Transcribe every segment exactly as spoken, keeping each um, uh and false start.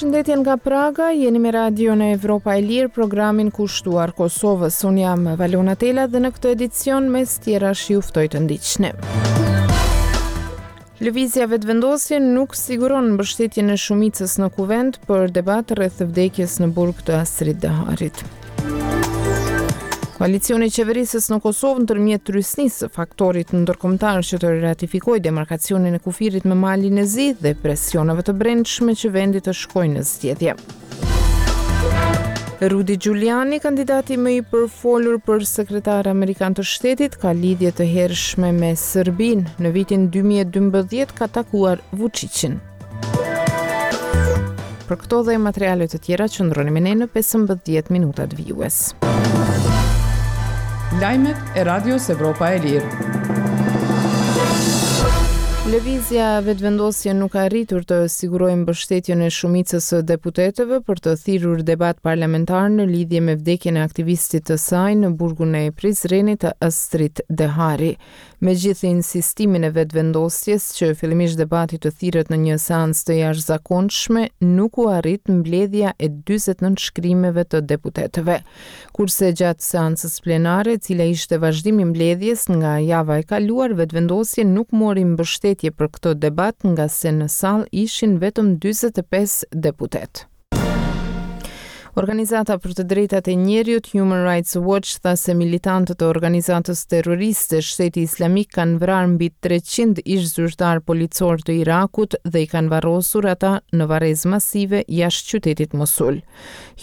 Përshëndetje nga Praga, jeni me Radion Evropa e Lirë, programin kushtuar Kosovës. Unë jam Valona Tela dhe në këtë edicion mes tjerash ju ftoj të ndiqni. Lëvizja Vetëvendosje nuk siguron mbështetjen e shumicës në kuvend për debat rreth vdekjes në burg të Astrit Deharit. Koalicioni qeverisës në Kosovë ndërmjet trysnisë së faktorit ndërkombëtar që të ratifikojë demarkacionin e kufirit me Malin e Zi dhe presioneve të brendshme që vendi të shkojë në zgjedhje. Rudy Giuliani, kandidati më i përfolur për sekretar amerikan të shtetit, ka lidhje të hershme me Serbinë. Në vitin dy mijë e dymbëdhjetë ka takuar Vučićin. Për këto dhe materiale të tjera qëndroni me ne në pesëmbëdhjetë minutat vijues. Lajmet e Radios Evropa e Lirë. Lëvizja Vetëvendosje nuk ka arritur të sigurojë mbështetjen e shumicës së deputetëve për të thirrur debat parlamentar në lidhje me vdekjen e aktivistit të saj në burgun e Prizrenit të Astrit Dehari. Megjithë insistimin e Vetëvendosjes që fillimisht debati të thirret në një seancë të jashtëzakonshme, nuk u arrit mbledhja e dyzet nënshkrimeve të deputetëve. Kurse gjatë seancës plenare, e cila ishte vazhdim i mbledhjes nga java e kaluar, Vetëvendosje nuk mori mbështetje për këtë debat nga se në sallë ishin vetëm dyzet e pesë deputetë. Organizata për të drejtat e njeriut Human Rights Watch tha se militantët e organizatës terroriste Shteti Islamik kanë vrarë mbi treqind ish zyrtar policor të Irakut dhe i kanë varrosur ata në varrezë masive jashtë qytetit Mosul.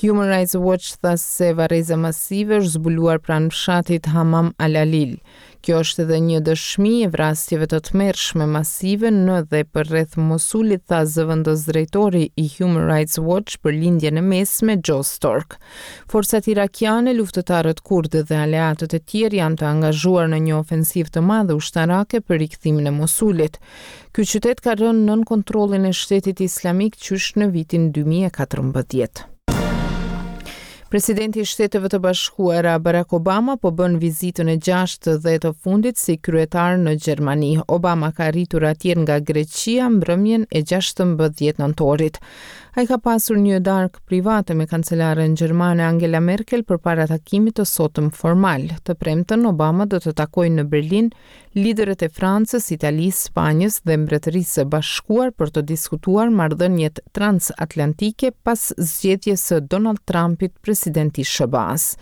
Human Rights Watch tha se varreza masive është zbuluar pranë fshatit Hamam Al-Alil. Kjo është edhe një dëshmi e vrasjeve të tmerrshme masive në dhe përreth Mosulit, tha zëvendës drejtori i Human Rights Watch për lindjen e mesme, Joe Stork. Forcat irakiane, luftëtarët kurdë dhe aleatët e tjerë janë të angazhuar në një ofensivë të madhe ushtarake për rikthimin e Mosulit. Ky qytet ka rënë nën kontrollin e Shtetit Islamik qysh në vitin dy mijë e katërmbëdhjetë. Presidenti i Shteteve të Bashkuara Barack Obama po bën vizitën e gjashtë dhe të fundit si kryetar në Gjermani. Obama ka arritur atje nga Greqia mbrëmjen e gjashtëmbëdhjetë nëntorit. Ai ka pasur një darkë private me kancelaren gjermane Angela Merkel përpara takimit të sotëm formal. Të premten Obama do të takojë në Berlin liderët e Francës, Italisë, Spanjës dhe Mbretërisë së Bashkuar për të diskutuar marrëdhëniet transatlantike pas zgjedhjes së Donald Trumpit president i S H B A-s.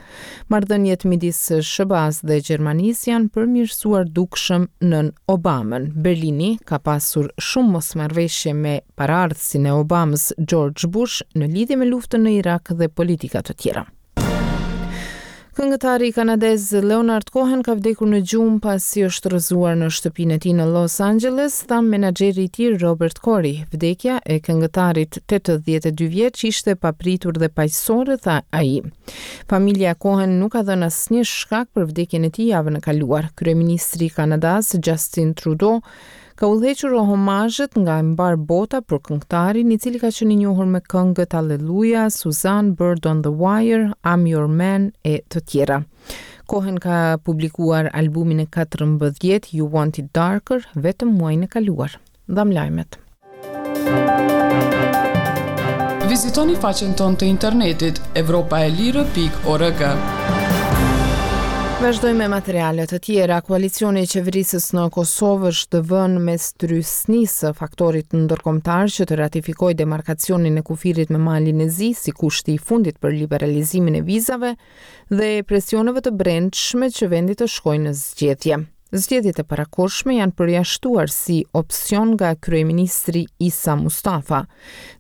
Marrëdhëniet midis S H B A-s dhe Gjermanisë janë përmirësuar dukshëm nën Obamën. Berlini ka pasur shumë mosmarrëveshje me paraardhësin e Obamës, George Bush, në lidhje me luftën në Irak dhe politika të tjera. Këngëtari kanadez Leonard Cohen ka vdekur në gjumë pasi është rrëzuar në shtëpinë e tij në Los Angeles, tha menaxheri i tij Robert Corey. Vdekja e këngëtarit tetëdhjetë e dy vjeç ishte papritur dhe paqësore, tha ai. Familja Cohen nuk ka dhënë asnjë shkak për vdekjen e tij javën e kaluar. Kryeministri i Kanadas Justin Trudeau ka udhëhequr homazhet nga mbar bota për këngëtarin, i cili ka qenë i njohur me këngët Hallelujah, Suzanne, Bird on the Wire, I'm Your Man e të tjera. Cohen ka publikuar albumin e katërmbëdhjetë You Want It Darker vetëm muajin e kaluar. Dham lajmet. Vizitoni faqen tonë të internetit evropaelire pikë org. Vazhdojmë me materiale të tjera. Koalicioni i qeverisës në Kosovë është vënë mes trysnisë së faktorit ndërkombëtar që të ratifikojë demarkacionin e kufirit me Malin e Zi si kushti i fundit për liberalizimin e vizave dhe presioneve të brendshme që vendi të shkojë në zgjedhje. Zgjedhjet e parakohshme janë përjashtuar si opsion nga kryeministri Isa Mustafa,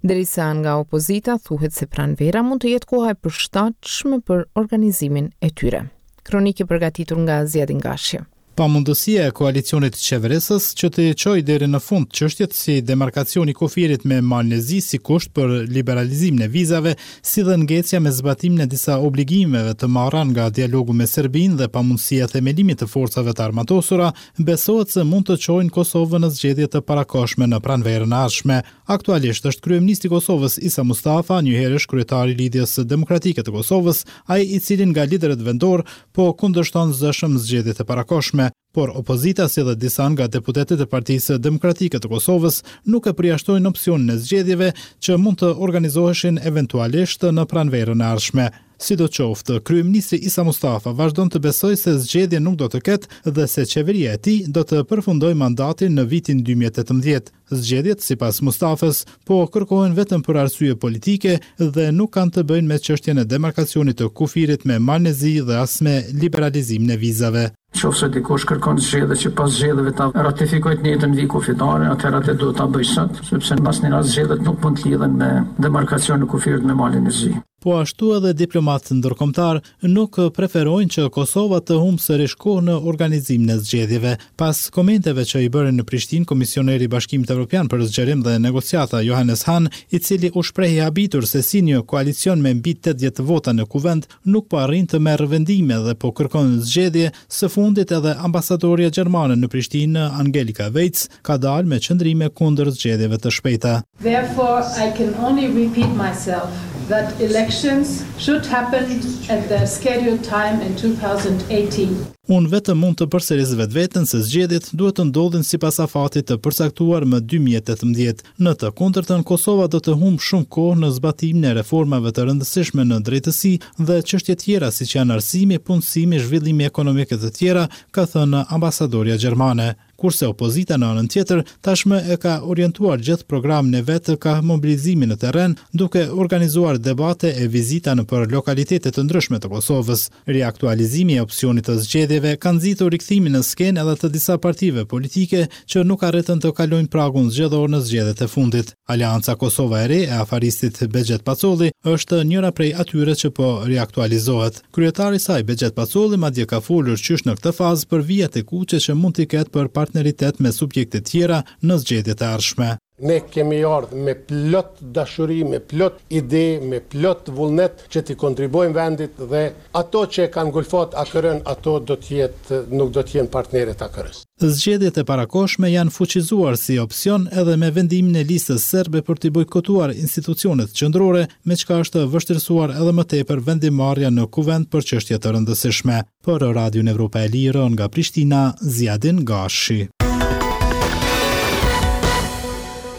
derisa nga opozita thuhet se pranvera mund të jetë koha e përshtatshme për organizimin e tyre. Kronikë përgatitur nga Ziadin Gashi. Pamundësia e koalicionit qeverisës që të çojë deri në fund çështjet si demarkacioni i kufirit me Malin e Zi si kusht për liberalizimin e vizave, si dhe ngecja me zbatimin e disa obligimeve të marra nga dialogu me Serbinë dhe pamundësia e themelimit të forcave të armatosura, besohet se mund të çojnë Kosovën në zgjedhje të parakohshme në pranverën e ardhshme. Aktualisht është kryeministri i Kosovës Isa Mustafa, njëherësh kryetari i Lidhjes Demokratike të Kosovës, ai i cili nga liderët vendor po kundërshton zëshëm zgjedhjet e parakohshme. ardhshme. Por opozita, si dhe disa nga deputetët e Partisë Demokratike të Kosovës, nuk e përjashtojnë opsionin e zgjedhjeve që mund të organizoheshin eventualisht në pranverën e ardhshme. Sidoqoftë, kryeministri Isa Mustafa vazhdon të besojë se zgjedhje nuk do të ketë dhe se qeveria e tij do të përfundojë mandatin në vitin dy mijë e tetëmbëdhjetë. Zgjedhjet, sipas Mustafës, po kërkohen vetëm për arsye politike dhe nuk kanë të bëjnë me çështjen e demarkacionit të kufirit me Malin e Zi dhe as me liberalizimin e vizave. Qoftë se dikush kërkon zgjedhje që pas zgjedhjeve ta ratifikojë të njëjtën vijë kufitare, atëherë atë duhet ta bëjë sot, sepse në asnjë rast zgjedhjet nuk mund të lidhen me demarkacionin e kufirit me Malin e Zi. Po ashtu edhe diplomatë ndërkombëtar nuk preferojnë që Kosova të humbë sërish kohë në organizimin e zgjedhjeve. Pas komenteve që i bëri në Prishtinë komisioneri i Bashkimit Evropian për zgjerim dhe negociata Johannes Hahn, i cili u shpreh i habitur se si një koalicion me mbi tetëdhjetë vota në kuvend nuk po arrin të merr vendime dhe po kërkon zgjedhje, së fundit edhe ambasadorja gjermane në Prishtinë Angelika Weitz ka dalë me qëndrime kundër zgjedhjeve të shpejta. Therefore, I can only repeat myself that elections should happen at their scheduled time in two thousand eighteen. Unë vetëm mund të përsëris vetveten se zgjedhjet duhet të ndodhin sipas afatit të përcaktuar më dy mijë e tetëmbëdhjetë. Në të kundërtën, Kosova do të humbë shumë kohë në zbatimin e reformave të rëndësishme në drejtësi dhe çështje tjera siç janë arsimi, punësimi, zhvillimi ekonomik e të tjera, ka thënë ambasadorja gjermane. Kurse opozita në anën tjetër tashmë e ka orientuar gjithë programin e vet ka mobilizimin në terren, duke organizuar debate e vizita nëpër lokalitete të ndryshme të Kosovës. Riaktualizimi i opsionit të zgjedhjeve ka nxitur rikthimin në skenë edhe të disa partive politike që nuk arritën të kalojnë pragun zgjedhor në zgjedhjet e fundit. Aleanca Kosova e Re e afaristit Behgjet Pacolli është njëra prej atyre që po riaktualizohet. Kryetari i saj Behgjet Pacolli madje ka folur qysh në këtë fazë për vijat e kuqe që mund t'i ketë për partneritet me subjekte tjera në zgjedhjet e ardhshme. Ne kemi ardhur me plot dashuri, me plot ide, me plot vullnet që t'i kontribuojmë vendit dhe ato që e kanë ngulfat A K R-n, ato do të jetë, nuk do të jenë partnerët A K R-s. Zgjedhjet e parakohshme janë fuqizuar si opsion edhe me vendimin e listës serbe për t'i bojkotuar institucionet qendrore, me çka është vështirësuar edhe më tepër vendimmarrja në kuvend për çështje të rëndësishme. Për Radion Evropa e Lirë nga Prishtina, Ziadin Gashi.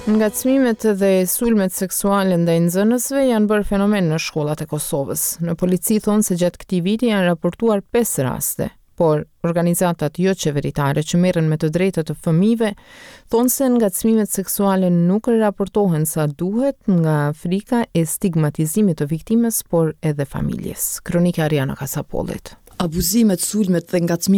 Ngacmimet dhe sulmet seksuale ndaj nxënësve janë bërë fenomen në shkollat e Kosovës. Në polici thonë se gjatë këtij viti janë raportuar pesë raste, por organizatat jo qeveritare që merren me të drejtat e fëmijëve thonë se ngacmimet seksuale nuk raportohen sa duhet nga frika e stigmatizimit të viktimës, por edhe familjes. Kronika Ariana Kasapollit. Abuzimet, sulmet dhe ngacmimet